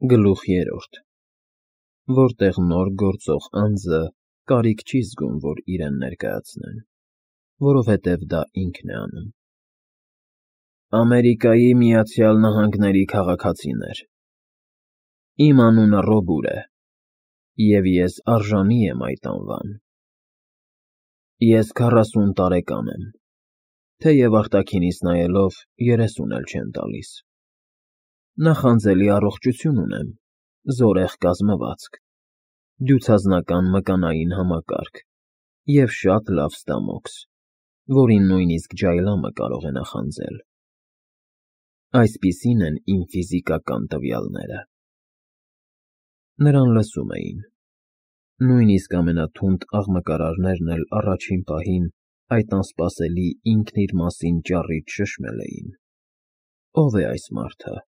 Գլուխ 3 Որտեղ նոր գործող անձը կարիք չի զգում, որ իրեն ներկայացնեն, որովհետև դա ինքն է անում։ Ամերիկայի Միացյալ Նահանգների քաղաքացիներ, իմ անունը Ռոբուր է, և ես արժանի եմ այդ անվան։ Ես 40 տարեկան եմ, թեև արտաքինիս նայելով 30 էլ չեմ տալիս։ Նախանձելի առողջություն ունեմ, զորեղ կազմվածք, դյուցազնական մկանային համակարգ և շատ լավ ստամոքս, որին նույնիսկ ջայլամը կարող է նախանձել։ Այսպիսին են իմ ֆիզիկական տվյալները։ Նրան լսում էին։ Նույնիսկ ամենաթունդ աղմկարարներն էլ առաջին պահին այդ անսպասելի ինքն իր մասին ճառից շշմել էին։ Ո՞վ է այս մարդը,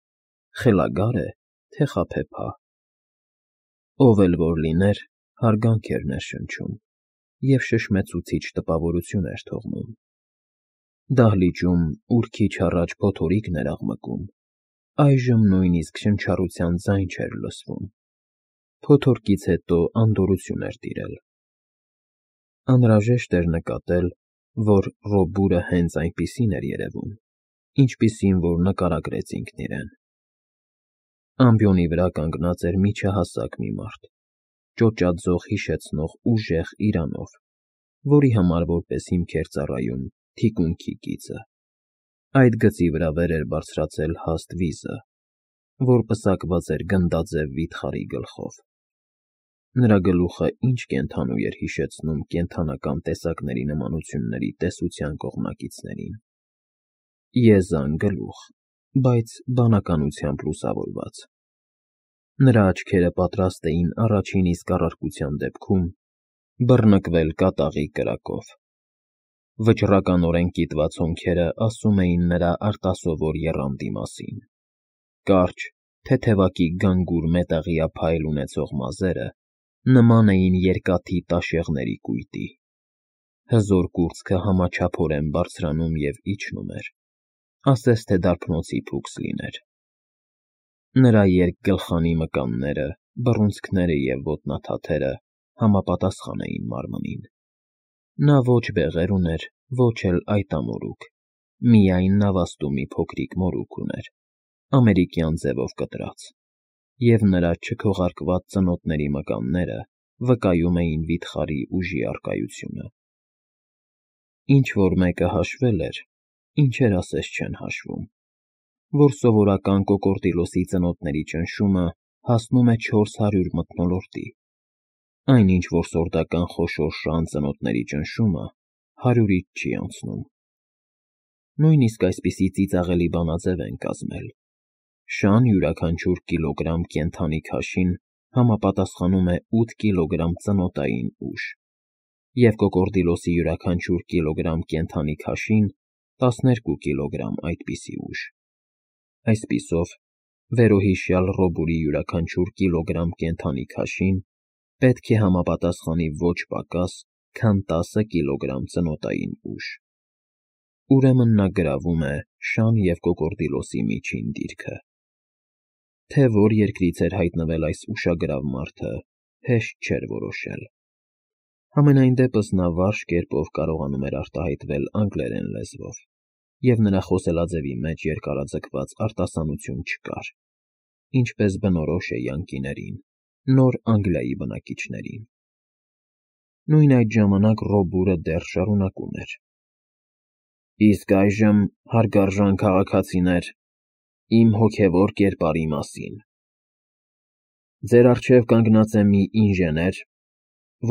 խելագա՞ր է, թե խաբեբա։ Ով էլ որ լիներ, հարգանք էր ներշնչում և շշմեցուցիչ տպավորություն էր թողնում։ Դահլիճում, ուր քիչ առաջ փոթորիկն էր աղմկում, այժմ նույնիսկ շնչառության ձայն չէր լսվում։ Փոթորկից հետո անդորրություն էր տիրել։ Անհրաժեշտ էր նկատել, որ Ռոբուրը հենց այնպիսին էր երևում, ինչպիսին որ նկարագրեց ինքն իրեն։ Ամբիոնի վրա կանգնած էր միջահասակ մի մարդ, ճոճաձող հիշեցնող ուժեղ իրանով, որի համար որպես հիմք էր ծառայում թիկունքի գիծը։ Այդ գծի վրա վեր էր բարձրացել հաստ վիզը, որ պսակված էր գնդաձև վիթխարի գլխով։ Նրա գլուխը ինչ կենդանու էր հիշեցնում կենդանական տեսակների նմանությունների տեսության կողմնակիցներին։ Եզան գլուխ, բայց բանականությամբ լուսավորված։ Նրա աչքերը պատրաստ էին առաջին իսկ առարկության դեպքում բռնկվել կատաղի կրակով։ Վճռականորեն կիտված հոնքերը ասում էին նրա արտասովոր եռանդի մասին։ Կարճ, թեթևակի գանգուր մետաղյա փայլ ունեցող մազերը նման էին երկաթի տաշեղների կույտի։ Հզոր կուրծքը համաչափորեն բարձրանում և իջնում էր, ասես թե դարբնոցի փուքս լիներ։ Նրա երկգլխանի մկանները, բռունցքները և ոտնաթաթերը համապատասխան էին մարմնին։ Նա ոչ բեղեր ուներ, ոչ էլ այտամորուք, միայն նավաստու մի փոքրիկ մորուք ուներ, ամերիկյան ձևով կտրած, և նրա չքողարկված ծնոտների մկանները վկայում էին վիթխարի ուժի առկայությունը։ Ինչ-որ մեկը հաշվել էր, ինչեր ասես չեն հաշվում, որ սովորական կոկորդիլոսի ծնոտների ճնշումը հասնում է 400 մթնոլորտի, այնինչ որ սորդական խոշոր շան ծնոտների ճնշումը 100-ից չի անցնում։ Նույնիսկ այսպիսի ծիծաղելի բանաձև են կազմել։ Շան յուրաքանչյուր կիլոգրամ կենդանի քաշին համապատասխանում է 8 կիլոգրամ ծնոտային ուժ, և կոկորդիլոսի յուրաքանչյուր կիլոգրամ կենդանի քաշին 12 կիլոգրամ այդպիսի ուժ։ Այսպիսով, վերոհիշյալ Ռոբուրի յուրաքանչյուր կիլոգրամ կենդանի քաշին պետք է համապատասխանի ոչ պակաս, քան 10 կիլոգրամ ծնոտային ուժ։ Ուրեմն նա գրավում է շան և կոկորդիլոսի միջին դիրքը։ Թե որ երկրից էր հայտնվել այս ուշագրավ մարդը, հեշտ չէր որոշել։ Համենայն դեպս նա վարժ կերպով կարողանում էր արտահայտվել անգլերեն լեզվով, և նրա խոսելաձևի մեջ երկարաձգված արտասանություն չկար, ինչպես բնորոշ է յանկիներին, նոր Անգլիայի բնակիչներին։ Նույն այդ ժամանակ Ռոբուրը դեռ շարունակում էր. Իսկ այժմ, հարգարժան քաղաքացիներ, իմ հոգևոր կերպարի մասին։ Ձեր առջև կանգնած է մի ինժեներ,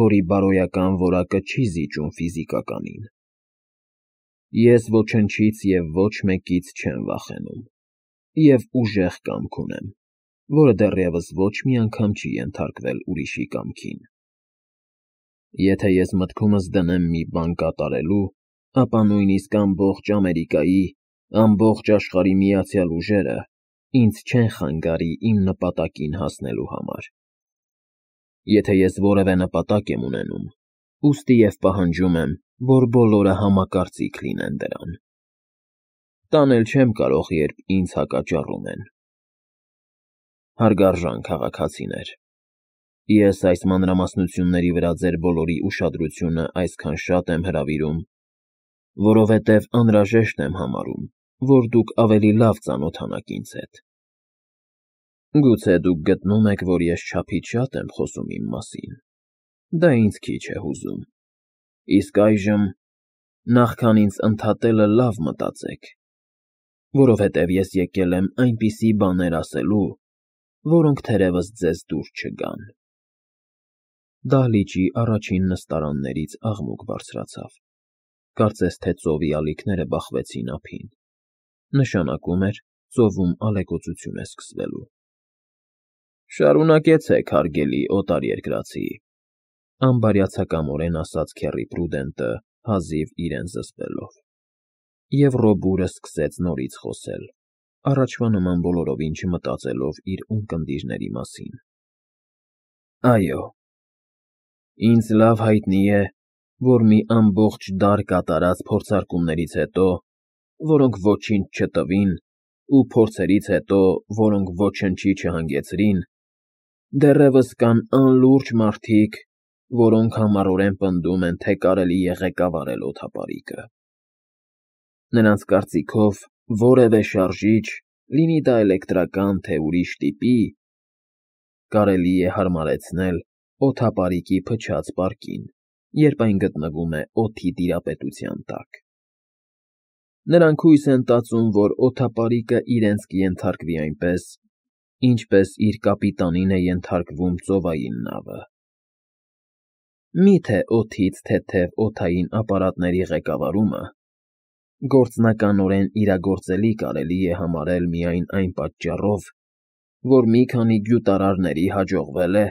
որի բարոյական որակը չի զիջում ֆիզիկականին։ Ես ոչնչից և ոչ մեկից չեմ վախենում, և ուժեղ կամք ունեմ, որը դեռևս ոչ մի անգամ չի ենթարկվել ուրիշի կամքին։ Եթե ես մտքումս դնեմ մի բան կատարելու, ապա նույնիսկ ամբողջ Ամերիկայի, ամբողջ աշխարհի միացյալ ուժերը ինձ չեն խանգարի իմ նպատակին հասնելու համար։ Եթե ես որևէ նպատակ եմ ունենում, ուստի և պահանջում եմ, որ բոլորը համակարծիք լինեն դրան։ Տանել չեմ կարող, երբ ինձ հակաճառում են։ Հարգարժան քաղաքացիներ, ես այս մանրամասնությունների վրա ձեր բոլորի ուշադրությունը այսքան շատ եմ հրավիրում, որովհետև անհրաժեշտ եմ համարում, որ դուք ավելի լավ ծանոթանաք ինձ հետ։ Գուցե դուք գտնում եք, որ ես չափից շատ եմ խոսում իմ մասին, դա ինձ քիչ է հուզում, իսկ այժմ, նախքան ինձ ընդհատելը լավ մտածեք, որովհետև ես եկել եմ այնպիսի բաներ ասելու, որոնք թերևս ձեզ դուր չգան։ Դահլիճի առաջին նստարաններից աղմուկ բարձրացավ, կարծես թե ծովի ալիքները բախվեցին ափին, նշանակում էր ծովում ալեկոծություն է սկսվելու։ Շարունակեցեք, հարգելի օտարերկրացի, անբարյացակամորեն ասաց Քեռի Պրուդենտը, հազիվ իրեն զսպելով, և Ռոբուրը սկսեց նորից խոսել, առաջվա նման բոլորովին չմտածելով իր ունկնդիրների մասին։ Այո, ինձ լավ հայտնի է, որ մի ամբողջ դար կատարած փորձարկումներից հետո, որոնք ոչինչ չտվին, ու փորձերից հետո, որոնք ոչնչի չհանգեցրին, դեռևս կան անլուրջ մարդիկ, որոնք համառորեն պնդում են, թե կարելի է ղեկավարել օդապարիկը։ Նրանց կարծիքով որևէ շարժիչ, լինի դա էլեկտրական, թե ուրիշ տիպի, կարելի է հարմարեցնել օդապարիկի փչած պարկին, երբ այն գտնվում է օդի տիրապետության տակ։ Նրանք հույս են տածում, որ օդապարիկը իրենց կենթարկվի այնպես, ինչպես իր կապիտանին է ենթարկվում ծովային նավը։ Միթե օդից թեթև օդային ապարատների ղեկավարումը գործնականորեն իրագործելի կարելի է համարել միայն այն պատճառով, որ մի քանի գյուտարարների հաջողվել է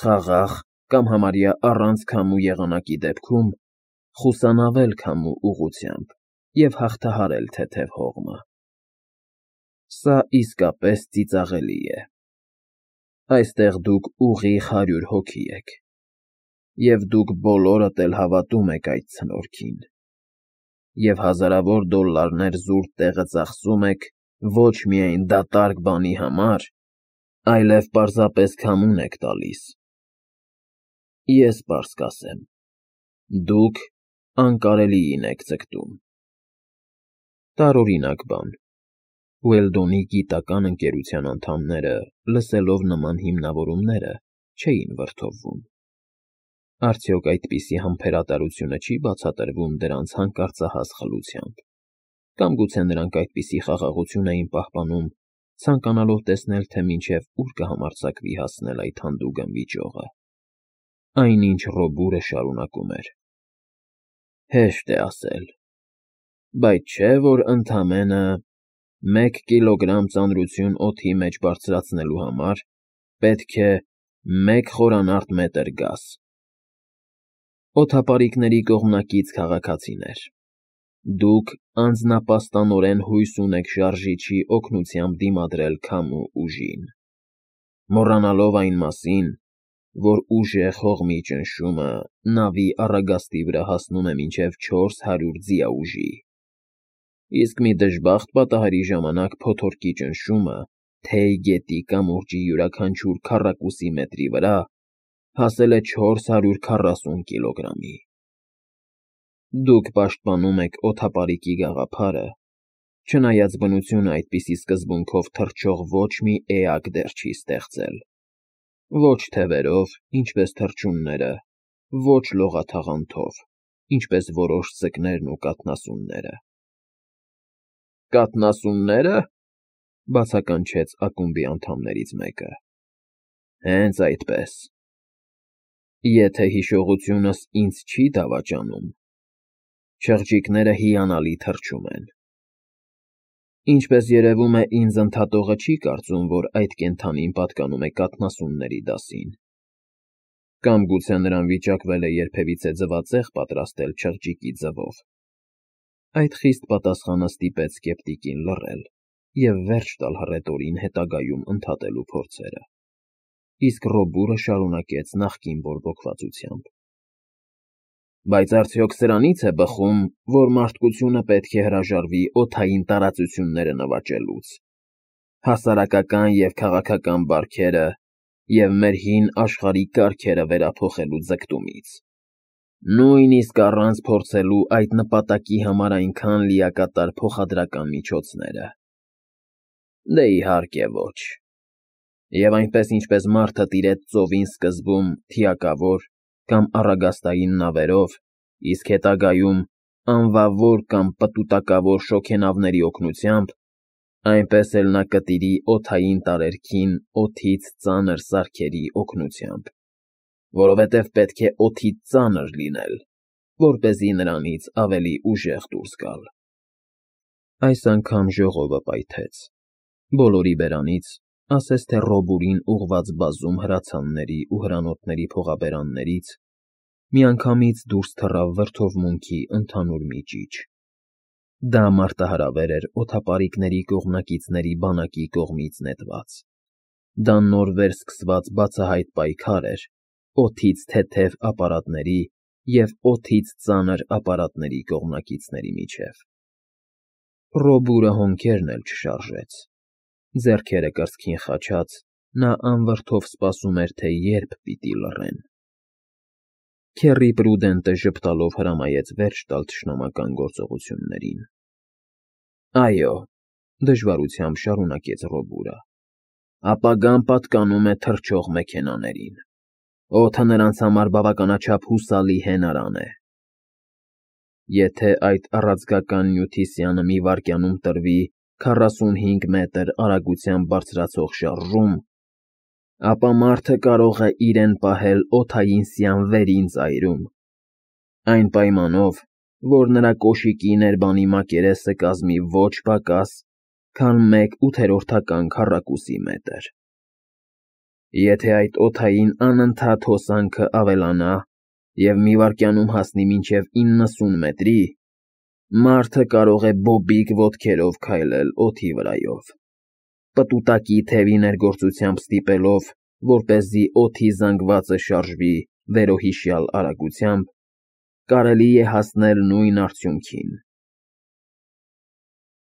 խաղաղ կամ համարյա առանց քամու եղանակի դեպքում խուսանավել քամու ուղղությամբ և հաղթահարել թեթև հողմը։ Սա իսկապես ծիծաղելի է։ Այստեղ դուք ուղիղ 100 հոգի եք, և դուք բոլորդ էլ հավատում եք այդ ցնորքին, և հազարավոր դոլլարներ զուր տեղը ծախսում եք ոչ միայն դատարկ բանի համար, այլև պարզապես քամուն եք տալիս։ Ես պարզ կասեմ. դուք անկարելիին եք ձգտում։ Տարօրինակ բան։ Ուելդոնի գիտական ընկերության անդամները, լսելով նման հիմնավորումները, չէին վրդովվում։ Արդյոք այդպիսի համբերատարությունը չի բացատրվում դրանց հանկարծահաս խլությամբ, կամ գուցե նրանք այդպիսի խաղաղություն էին պահպանում, ցանկանալով տեսնել, թե մինչև ուր կհամարձակվի հասնել այդ հանդուգն վիճողը։ Այնինչ Ռոբուրը շարունակում էր. Հեշտ է ասել, բայց չէ՞ որ ընդամենը 1 կիլոգրամ ծանրություն օդի մեջ բարձրացնելու համար պետք է 1 խորանարդ մետր գազ։ Օդապարիկների կողմնակից քաղաքացիներ, դուք անձնապաստանորեն հույս ունեք շարժիչի օգնությամբ դիմադրել քամու ուժին, մոռանալով այն մասին, որ ուժեղ հողմի ճնշումը նավի առագաստի վրա հասնում է մինչև 400 ձիաուժի, իսկ մի դժբախտ պատահարի ժամանակ փոթորկի ճնշումը Թեյ գետի կամուրջի յուրաքանչյուր քառակուսի մետրի վրա հասել է 440 կիլոգրամի։ Դուք պաշտպանում եք օդապարիկի գաղափարը, չնայած բնությունը այդպիսի սկզբունքով թռչող ոչ մի էակ դեռ չի ստեղծել, ոչ թևերով, ինչպես թռչունները, ոչ լողաթաղանթով, ինչպես որոշ ձկներն ու կաթնասունները։ Կաթնասուննե՞րը,֊ բացականչեց ակումբի անդամներից մեկը։ Հենց այդպես։ Եթե հիշողությունս ինձ չի դավաճանում, չղջիկները հիանալի թռչում են։ Ինչպես երևում է, ինձ ընդհատողը չի կարծում, որ այդ կենդանին պատկանում է կաթնասունների դասին, կամ գուցե նրան վիճակվել է երբևիցե ձվածեղ պատրաստել չղջիկի ձվով։ Այդ խիստ պատասխանը ստիպեց սկեպտիկին լռել և վերջ տալ հռետորին հետագայում ընդհատելու փորձերը, իսկ Ռոբուրը շարունակեց նախկին բորբոքվածությամբ. Բայց արդյոք սրանից է բխում, որ մարդկությունը պետք է հրաժարվի օդային տարածությունները նվաճելուց։ հասարակական և քաղաքական բարքերը և մեր հին աշխարհի կարգերը վերափոխելու ձգտումից, նույնիսկ առանց փորձելու այդ նպատակի համար այնքան լիակատար փոխադրական միջոցները։ Դե իհարկե ոչ։ Եվ այնպես ինչպես մարդը տիրեց ծովին սկզբում թիակավոր կամ առագաստային նավերով, իսկ հետագայում անվավոր կամ պտուտակավոր շոգենավերի օգնությամբ, այնպես էլ նա կտիրի օդային տարերքին օդից ծանր սարքերի օգնությամբ, որովհետև պետք է օդից ծանր լինել, որպեսզի նրանից ավելի ուժեղ դուրս գալ։ Այս անգամ ժողովը պայթեց։ Բոլորի բերանից, ասես թե Ռոբուրին ուղղված բազում հրացանների ու հրանոթների փողաբերաններից, միանգամից դուրս թռավ վրդովմունքի ընդհանուր մի ճիչ։ Դա մարտահրավեր էր օդապարիկների կողմնակիցների բանակի կողմից նետված։ Դա նոր վերսկսված բացահայտ պայքար էր օդից թեթև ապարատների և օդից ծանր ապարատների կողմնակիցների միջև։ Ռոբուրը հոնքերն էլ չշարժեց։ Ձեռքերը կրծքին խաչած, նա անվրդով սպասում էր, թե երբ պիտի լռեն։ Քեռի Պրուդենտը ժպտալով հրամայեց վերջ տալ թշնամական գործողություններին։ Այո, դժվարությամբ շարունակեց Ռոբուրը, ապագան պատկանում է թռչող մեքենաներին։ Օդը նրանց համար բավականաչափ հուսալի հենարան է։ Եթե այդ առաձգական նյութի սյանը մի վայրկյանում տրվի 45 մետր արագությամբ բարձրացող շարժում, ապա մարդը կարող է իրեն պահել օդային սյան վերին ծայրում, այն պայմանով, որ նրա կոշիկի ներբանի մակերեսը կազմի ոչ պակաս, քան 1/8 քառակուսի մետր։ Եթե այդ օդային անընդհատ հոսանքը ավելանա և մի վայրկյանում հասնի մինչև 90 մետրի, մարդը կարող է բոբիկ ոտքերով քայլել օդի վրայով, պտուտակի թևի ներգործությամբ ստիպելով, որպեսզի օդի զանգվածը շարժվի վերոհիշյալ արագությամբ, կարելի է հասնել նույն արդյունքին,